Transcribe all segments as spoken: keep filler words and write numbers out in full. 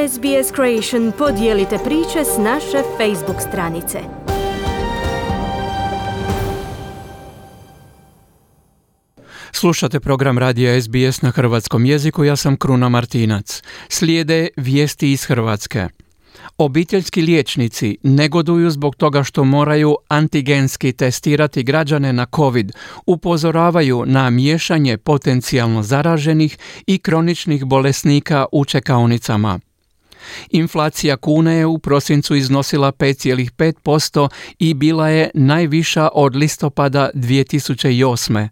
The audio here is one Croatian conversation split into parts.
S B S Creation podijelite priče s naše Facebook stranice. Slušate program radija S B S na hrvatskom jeziku, ja sam Kruna Martinac. Slijede vijesti iz Hrvatske. Obiteljski liječnici negoduju zbog toga što moraju antigenski testirati građane na COVID, upozoravaju na miješanje potencijalno zaraženih i kroničnih bolesnika u čekaonicama. Inflacija kune je u prosincu iznosila pet zarez pet posto i bila je najviša od listopada dvije tisuće osme.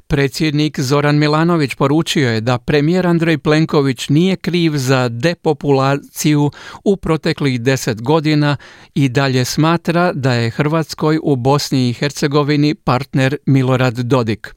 Predsjednik Zoran Milanović poručio je da premijer Andrej Plenković nije kriv za depopulaciju u proteklih deset godina i dalje smatra da je Hrvatskoj u Bosni i Hercegovini partner Milorad Dodik.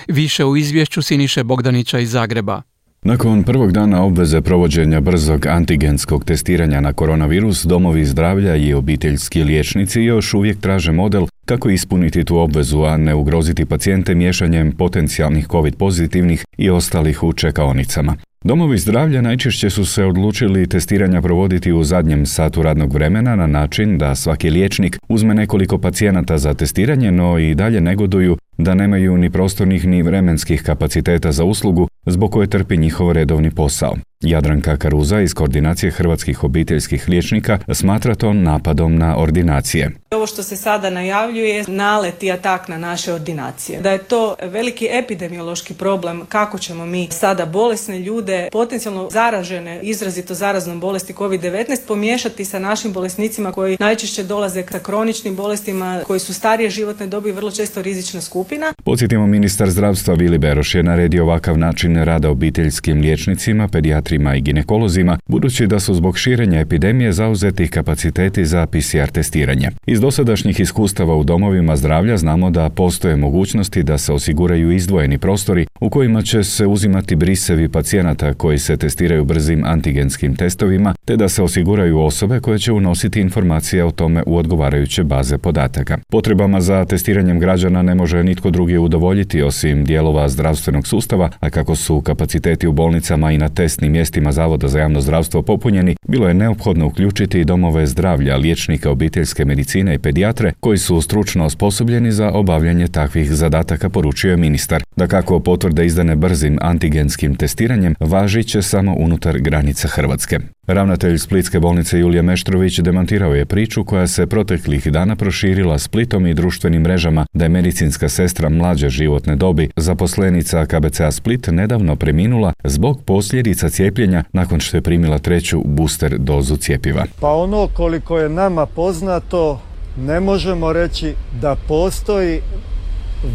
Više u izvješću Siniše Bogdanića iz Zagreba. Nakon prvog dana obveze provođenja brzog antigenskog testiranja na koronavirus, domovi zdravlja i obiteljski liječnici još uvijek traže model kako ispuniti tu obvezu, a ne ugroziti pacijente miješanjem potencijalnih COVID pozitivnih i ostalih u čekaonicama. Domovi zdravlja najčešće su se odlučili testiranja provoditi u zadnjem satu radnog vremena na način da svaki liječnik uzme nekoliko pacijenata za testiranje, no i dalje negoduju da nemaju ni prostornih ni vremenskih kapaciteta za uslugu zbog koje trpi njihov redovni posao. Jadranka Karuza iz Koordinacije hrvatskih obiteljskih liječnika smatra to napadom na ordinacije. Ovo što se sada najavljuje nalet i atak na naše ordinacije. Da je to veliki epidemiološki problem kako ćemo mi sada bolesne ljude, potencijalno zaražene izrazito zaraznom bolesti covid devetnaest pomiješati sa našim bolesnicima koji najčešće dolaze sa kroničnim bolestima, koji su starije životne dobi, vrlo često rizična skupina. Podsjetimo, ministar zdravstva Vili Beroš je naredio ovakav način rada obiteljskim liječnicima, pedijatrima i ginekolozima, budući da su zbog širenja epidemije zauzeti kapaciteti za P C R testiranje. Iz dosadašnjih iskustava u domovima zdravlja znamo da postoje mogućnosti da se osiguraju izdvojeni prostori u kojima će se uzimati brisevi pacijenata koji se testiraju brzim antigenskim testovima, te da se osiguraju osobe koje će unositi informacije o tome u odgovarajuće baze podataka. Potrebama za testiranjem građana ne može nitko drugi udovoljiti osim dijelova zdravstvenog sustava, a kako su kapaciteti u bolnicama i na testnim mjestima Zavoda za javno zdravstvo popunjeni, bilo je neophodno uključiti i domove zdravlja, liječnika obiteljske medicine i pedijatre koji su stručno osposobljeni za obavljanje takvih zadataka, poručio je ministar. Dakako, potvrde izdane brzim antigenskim testiranjem važit će samo unutar granica Hrvatske. Ravnatelj Splitske bolnice Julije Meštrović demantirao je priču koja se proteklih dana proširila Splitom i društvenim mrežama da je medicinska sestra mlađe životne dobi, zaposlenica K B C A Split, nedavno preminula zbog posljedica cijepljenja nakon što je primila treću booster dozu cjepiva. Pa ono koliko je nama poznato, ne možemo reći da postoji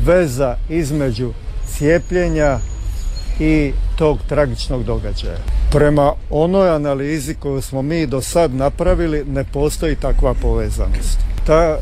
veza između cijepljenja i tog tragičnog događaja. Prema onoj analizi koju smo mi do sad napravili, ne postoji takva povezanost. Ta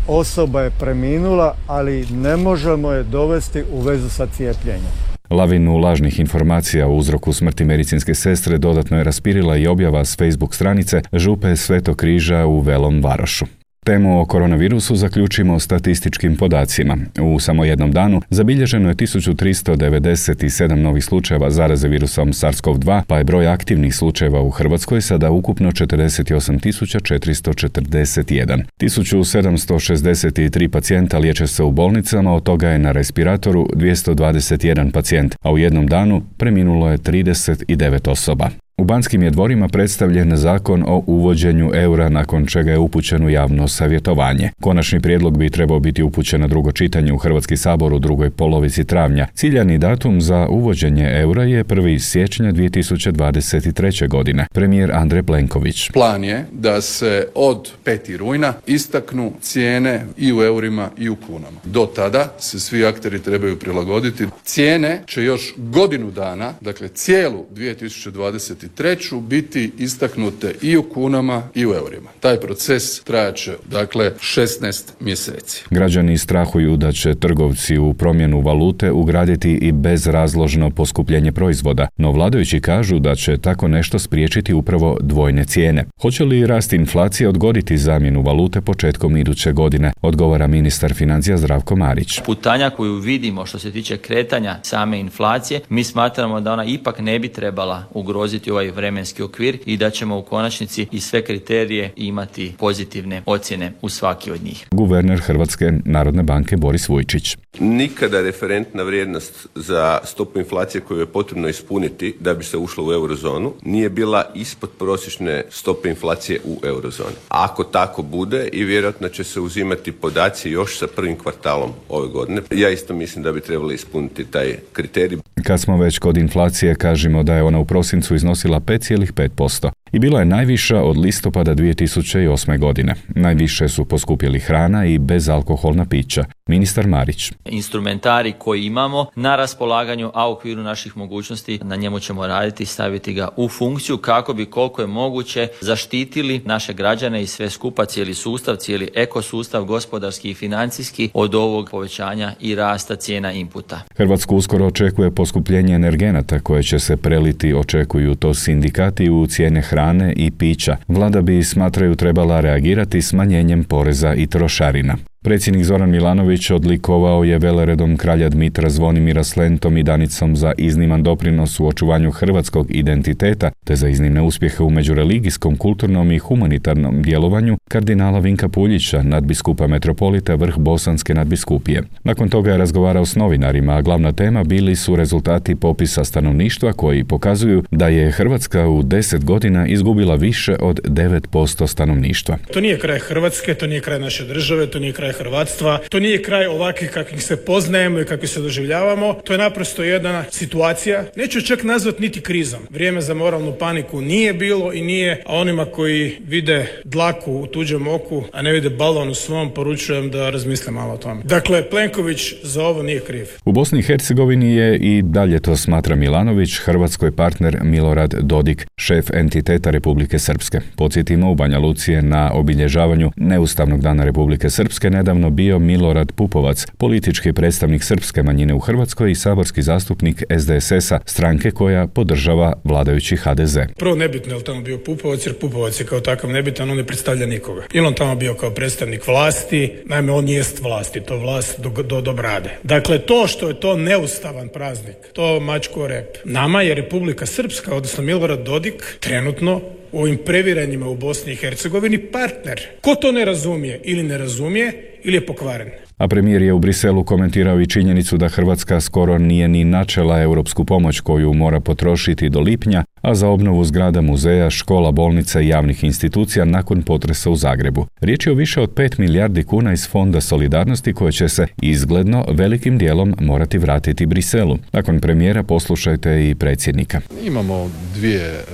osoba je preminula, ali ne možemo je dovesti u vezu sa cijepljenjem. Lavinu lažnih informacija o uzroku smrti medicinske sestre dodatno je raspirila i objava s Facebook stranice Župe Svetog Križa u Velom Varošu. Temu o koronavirusu zaključimo statističkim podacima. U samo jednom danu zabilježeno je tisuću tristo devedeset sedam novih slučajeva zaraze virusom SARS-CoV dva, pa je broj aktivnih slučajeva u Hrvatskoj sada ukupno četrdeset osam tisuća četiristo četrdeset jedan. tisuću sedamsto šezdeset tri pacijenta liječe se u bolnicama, od toga je na respiratoru dvjesto dvadeset jedan pacijent, a u jednom danu preminulo je trideset devet osoba. U Banskim je dvorima predstavljen zakon o uvođenju eura, nakon čega je upućen u javno savjetovanje. Konačni prijedlog bi trebao biti upućen na drugo čitanje u Hrvatski sabor u drugoj polovici travnja. Ciljani datum za uvođenje eura je prvog siječnja dvije tisuće dvadeset treće. godine. Premijer Andrej Plenković. Plan je da se od petog rujna istaknu cijene i u eurima i u kunama. Do tada se svi akteri trebaju prilagoditi. Cijene će još godinu dana, dakle cijelu dvije tisuće dvadeset treću biti istaknute i u kunama i u eurima. Taj proces trajaće, dakle, šesnaest mjeseci. Građani strahuju da će trgovci u promjenu valute ugraditi i bezrazložno poskupljenje proizvoda, no vladajući kažu da će tako nešto spriječiti upravo dvojne cijene. Hoće li rast inflacije odgoditi zamjenu valute početkom iduće godine, odgovara ministar financija Zdravko Marić. Putanja koju vidimo što se tiče kretanja same inflacije, mi smatramo da ona ipak ne bi trebala ugroziti ovaj vremenski okvir i da ćemo u konačnici i sve kriterije imati pozitivne ocjene u svaki od njih. Guverner Hrvatske narodne banke Boris Vujčić. Nikada referentna vrijednost za stopu inflacije koju je potrebno ispuniti da bi se ušlo u eurozonu nije bila ispod prosječne stope inflacije u eurozoni. Ako tako bude i vjerojatno će se uzimati podaci još sa prvim kvartalom ove godine. Ja isto mislim da bi trebali ispuniti taj kriterij. Kad smo već kod inflacije, kažemo da je ona u prosincu iznosila pet zarez pet posto i bila je najviša od listopada dvije tisuće osme. godine. Najviše su poskupjeli hrana i bezalkoholna pića. Ministar Marić. Instrumentari koji imamo na raspolaganju, a u okviru naših mogućnosti, na njemu ćemo raditi i staviti ga u funkciju kako bi koliko je moguće zaštitili naše građane i sve skupa, cijeli sustav, cijeli ekosustav, gospodarski i financijski od ovog povećanja i rasta cijena inputa. Hrvatsku uskoro očekuje poskupljenje energenata koje će se preliti, očekuju to sindikati, u cijene hrane i pića. Vlada bi, smatraju, trebala reagirati smanjenjem poreza i trošarina. Predsjednik Zoran Milanović odlikovao je veleredom kralja Dmitra Zvonimira s lentom i Danicom za izniman doprinos u očuvanju hrvatskog identiteta te za iznimne uspjehe u međureligijskom, kulturnom i humanitarnom djelovanju kardinala Vinka Puljića, nadbiskupa metropolita vrh Bosanske nadbiskupije. Nakon toga je razgovarao s novinarima, a glavna tema bili su rezultati popisa stanovništva koji pokazuju da je Hrvatska u deset godina izgubila više od devet posto stanovništva. To nije kraj Hrvatske, to nije kraj naše države, to nije kraj hrvatstva, to nije kraj ovakvih kakvih se poznajemo i kakvih se doživljavamo, to je naprosto jedna situacija, neću čak nazvati niti krizom. Vrijeme za moralnu paniku nije bilo i nije, a onima koji vide dlaku u tuđem oku, a ne vide balon u svom, poručujem da razmisle malo o tome. Dakle, Plenković za ovo nije kriv. U Bosni i Hercegovini je, i dalje to smatra Milanović, Hrvatskoj partner Milorad Dodik, šef entiteta Republike Srpske. Podsjetimo, u Banja Luci je na obilježavanju Neustavnog dana Republike Srpske nedavno bio Milorad Pupovac, politički predstavnik srpske manjine u Hrvatskoj i saborski zastupnik S D S S-a, stranke koja podržava vladajući H D Z. Prvo, nebitno je li tamo bio Pupovac, jer Pupovac je kao takav nebitan, on ne predstavlja nikoga. Ili on tamo bio kao predstavnik vlasti, naime on jest vlasti, to vlast do, do, do brade. Dakle, to što je to neustavan praznik, to mačku o rep. Nama je Republika Srpska, odnosno Milorad Dodik, trenutno u ovim previranjima u Bosni i Hercegovini partner. Ko to ne razumije ili ne razumije ili je pokvaren. A premijer je u Briselu komentirao i činjenicu da Hrvatska skoro nije ni načela europsku pomoć koju mora potrošiti do lipnja, a za obnovu zgrada muzeja, škola, bolnica i javnih institucija nakon potresa u Zagrebu. Riječ je o više od pet milijardi kuna iz Fonda solidarnosti koje će se izgledno velikim dijelom morati vratiti Briselu. Nakon premijera poslušajte i predsjednika. Imamo dvije,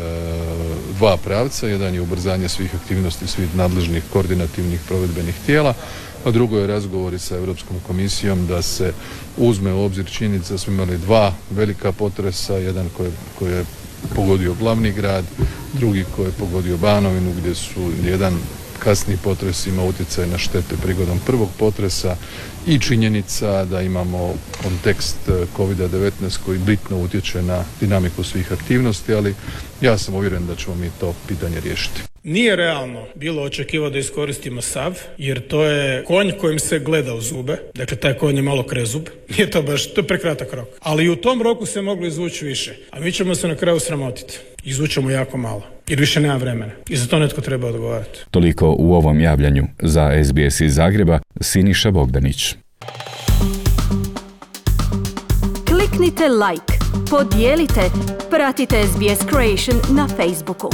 dva pravca, jedan je ubrzanje svih aktivnosti svih nadležnih koordinativnih provedbenih tijela, a drugo je razgovori sa Europskom komisijom da se uzme u obzir činjenica da smo imali dva velika potresa, jedan koji, koji je pogodio glavni grad, drugi koji je pogodio Banovinu, gdje su jedan kasni potres ima utjecaj na štete prigodom prvog potresa i činjenica da imamo kontekst kovid devetnaest koji bitno utječe na dinamiku svih aktivnosti, ali ja sam uvjeren da ćemo mi to pitanje riješiti. Nije realno bilo očekivati da iskoristimo sav, jer to je konj kojim se gleda u zube, dakle taj konj je malo krezub, nije to baš, to je prekratak rok. Ali i u tom roku se moglo izvući više, a mi ćemo se na kraju sramotiti. Izvučemo jako malo, jer više nema vremena i za to netko treba odgovarati. Toliko u ovom javljanju. Za S B S iz Zagreba, Siniša Bogdanić. Kliknite like, podijelite, pratite S B S Creation na Facebooku.